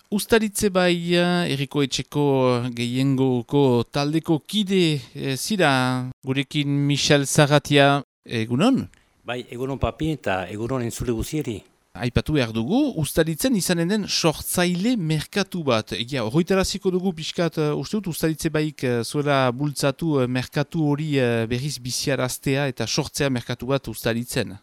Uztaritze bai, Eriko Etxeko gehiengoko taldeko kide zira gurekin Michel Zaratia, egunon? Bai, egunon papi eta egunon entzule guzieri. Aipatu behar dugu, uztaritzen izanen den sortzaile merkatu bat. Egia, horretaraziko dugu pixkat, uste dut, uztaritze baik zuela bultzatu merkatu hori berriz biziaraztea eta sortzea merkatu bat uztaritzen.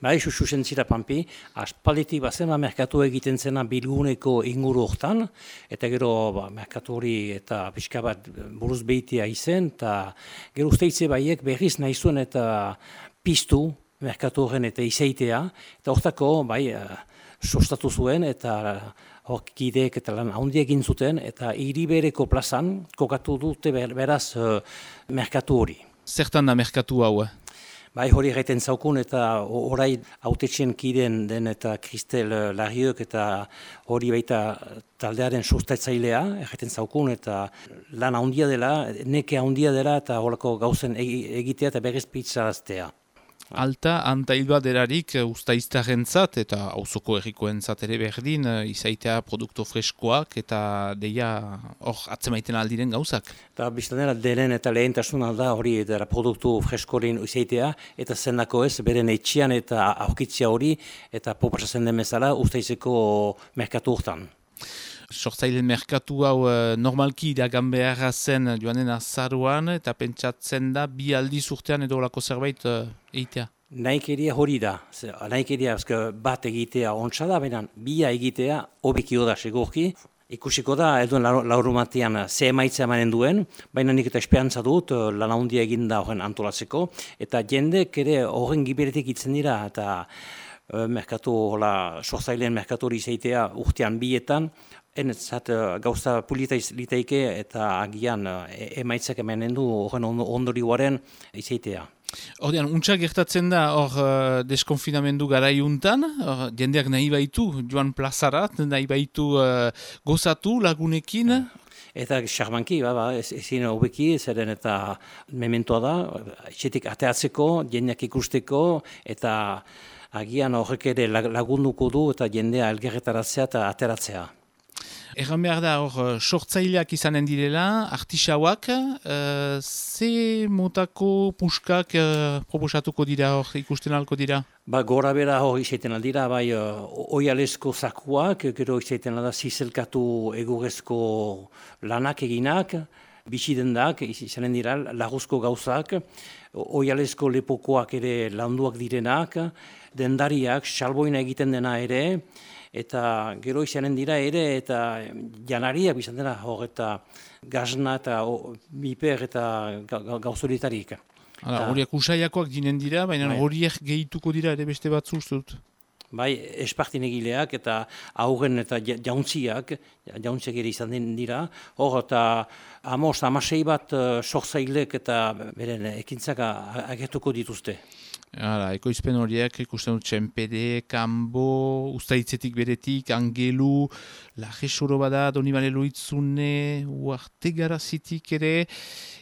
Bai, susen zira pampi, aspalditik bazena merkatu egiten zena bilguneko inguru hortan, eta gero merkatu hori eta pixka bat buruz behitea izen, eta gero usteitze baiek berriz nahi zuen eta piztu merkatu horren eta izeitea, eta hortako bai sustatu zuen eta kideek eta lan handi egin zuten, eta Iribereko plazan kokatu dute beraz merkatu hori. Zertan da merkatu hau? Bai, hori egiten zaukun eta orai hautetxen kideen den eta Kristel Larriok eta hori baita taldearen sustatzailea egiten zaukun eta lan handia dela, neke handia dela eta horako gauzen egitea eta berriz pitzaraztea. Alta, antailba derarik uztaiztarrentzat eta auzoko herrikoentzat ere berdin izaitea produktu freskoak eta deia hor atzemaiten aldiren gauzak. Eta biztanera denen eta lehentasuna da hori dara produktu freskorin izaitea eta zendako ez beren etxian eta aurkitzia hori eta proposatzen den bezala uztaizeko merkatu hortan. Sortzaileen merkatu hau normalki iragan beharra zen joanen azaruan eta pentsatzen da bi aldiz urtean edo olako zerbait eitea. Nahikeria hori da, nahikeria bat egitea ontsa da, baina bia egitea hobekio da segurki. Ikusiko da, eduen laurumatean ze emaitza emanen duen, baina nik eta esperantza dut lan handia eginda horren antolatzeko, eta jendek ere horren giberetik itzen dira, eta merkatu, sortzaileen merkatu hori izaitea urtean bietan, enetzat gauza pulita litaike eta agian emaitzak emanen du horren ondorioaren izaitea. Ordean, untsa gertatzen da hor deskonfinamendu garaiuntan, jendeak nahi baitu joan plazarat, nahi baitu gozatu lagunekin. Eta xarmanki, ezin hobeki, zeren eta mementoa da, etxetik ateatzeko, jendeak ikusteko, eta agian horrek ere lagunduko du eta jendea elgerretaratzea eta ateratzea. Egan behar da, hor, sortzaileak izanen direla, artisauak, ze motako puskak proposatuko dira, hor, ikusten alko dira? Gora bera hor izaiten aldira, oialesko zakuak, gero izaiten alda zizelkatu egurezko lanak eginak, bisidendak, izanen dira, laguzko gauzak, oialesko lepokoak ere landuak direnak, dendariak, salboina egiten dena ere, eta gero izanen dira ere, eta janariak izan dena hor, eta gazna eta biper eta gauzoritarik. Horiak usaiakoak dinen dira, baina horiek gehituko dira ere beste batzu ustut. Bai, espartin egileak eta aurren eta jauntziak ere izan dira, hor eta amasei bat sortzailek eta beren ekintzak agertuko dituzte. Ekoizpen horiek ikusten dut Txenpede, Kambo, Uztaitzetik beretik, Angelu, Lajesoro bada, Donibane Loitzune, Uarte Garazitik ere,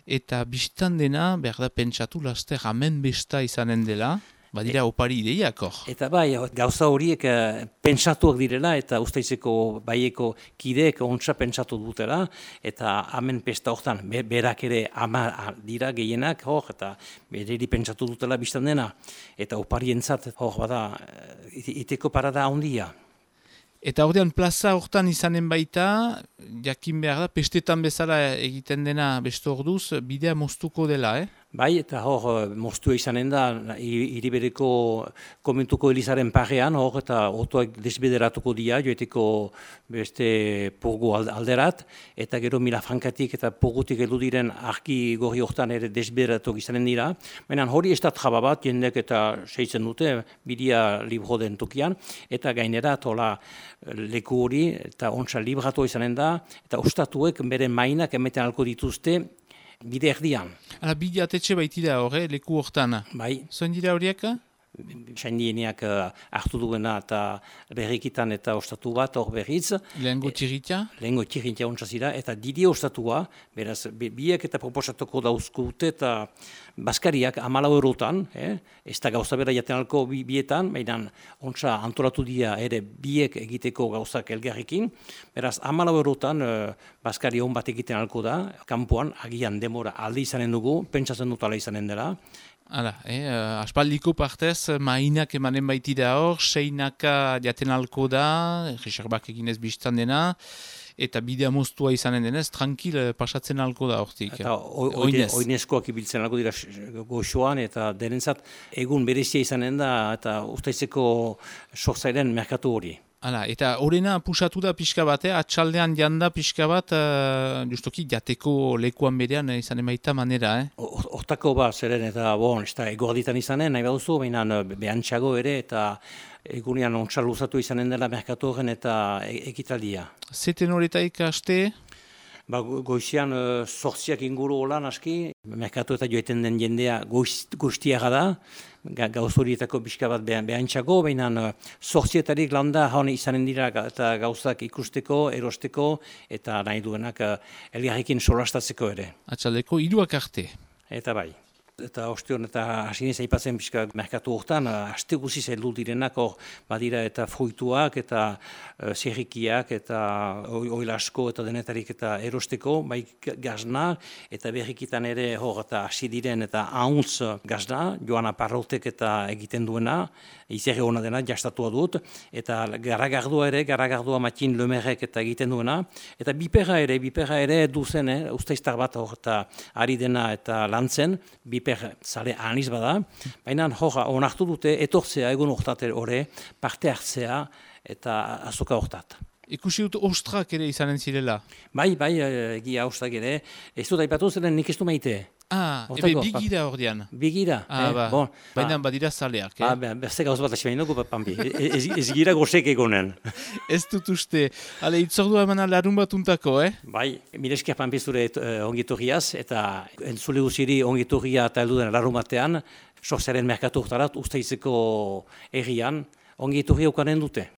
eta biztan dena, behar da pentsatu laster amen besta izanen dela, badira opari ideiak hor. Eta bai, gauza horiek pentsatuak direla eta Uztaitzeko baieko kideek ontsa pentsatu dutela eta hemen pesta hortan berak ere ama dira gehienak hor eta bereri pentsatu dutela biztan dena eta oparientzat hor bada iteko parada handia. Eta ordean plaza hortan izanen baita, jakin behar da, pestetan bezala egiten dena beste orduz, bidea moztuko dela, Bai, eta hor, moztua izanen da, Iribereko komentuko Elizaren parean, hor, eta otoak desbederatuko dira, joeteko beste purgu alderat, eta gero Milafrankatik eta purgutik edu diren arki gorri hortan ere desbederatuk izanen dira. Baina hori ez da traba bat, jendek eta seitzen dute, bidea libro den tokian, eta gainera, tola leku hori, eta ontsa libratu izanen da, eta ostatuek bere mainak emeten alko dituzte, bide erdian. Bide atetxe baitira leku hortan. Bai. Zoen dira horiek? saindieniak hartu duena eta berrikitan eta ostatu bat hor berriz. Lehengo tirritia? Lehengo tirritia ontsa zira, eta Didi ostatua, beraz, biek eta proposatuko dauzkute eta Baskariak 14 eurotan, ez da gauza bera jaten alko bietan, baina ontsa antolatu dira ere biek egiteko gauzak elgarrekin, beraz 14 eurotan Baskari hon bat egiten alko da, kanpoan agian demora alde izanen dugu, pentsatzen dut ala izanen dela. Hala, aspaldiko partez, mainak emanen baitira hor, seinaka jaten alko da, reserbak eginez biztan dena, eta bidea moztua izanen denez, tranquil pasatzen alko da hortik. Eta oinezkoak ibiltzen alko dira goxoan, eta denentzat egun berezia izanen da, eta ustaizeko sortzairen merkatu hori. Hala, eta horrena pusatu da pixka bat, atxaldean janda pixka bat, justoki jateko lekuan berean izanen baita manera, Hortako zeren eta ez da egoarditan izanen, nahi baduzu, baina behantxago ere, eta egunean ontsa luzatu izanen dela merkatu horren eta ekitaldia. Zeten horretaik haste? Goizian sortziak inguru holan aski, merkatu eta joeten den jendea guztiaga da, gauz horietako pixka bat behantxago, baina sortzietarik landa haun izanen dira eta gauzak ikusteko, erosteko, eta nahi duenak elgarrekin solastatzeko ere. Atxaldeko 3 arte. Eta bai. Eta ostion eta hasinez aipatzen pixka merkatu hortan, haste guziz heldu direnak hor badira eta fruituak eta zerrikiak eta oilasko eta denetarik eta erosteko, bai gazna eta berrikitan ere hor eta hasi diren eta hauntz gazna, Joana Parrotek eta egiten duena, izerre hona dena jastatua dut, eta garagardua Matin Lemerrek eta egiten duena, eta biperra ere duzen, usteiztar bat hor eta ari dena eta lantzen, zale aniz bada, baina onartu dute etortzea egun horretat ore, parte hartzea eta azoka horretat. Ikusi dut ostrak ere izanen zirela? Bai, egia ostrak ere. Ez dut aipatu zeren nik ez du maite. Ebe bigira ordean. Bigira. Baina badira zaleak. Beste gauz bat asibain dugu, Pampi. Ez gira gozek egonen. Ez dut uste. Ale, itzordua emana larun bat untako, Bai, mireskiak Pampi zure ongitorriaz, eta entzule guziri ongitorria eta heldu den larun batean, sortzearen merkatu urtarat, usteizeko errian, ongitorria ukanen dute.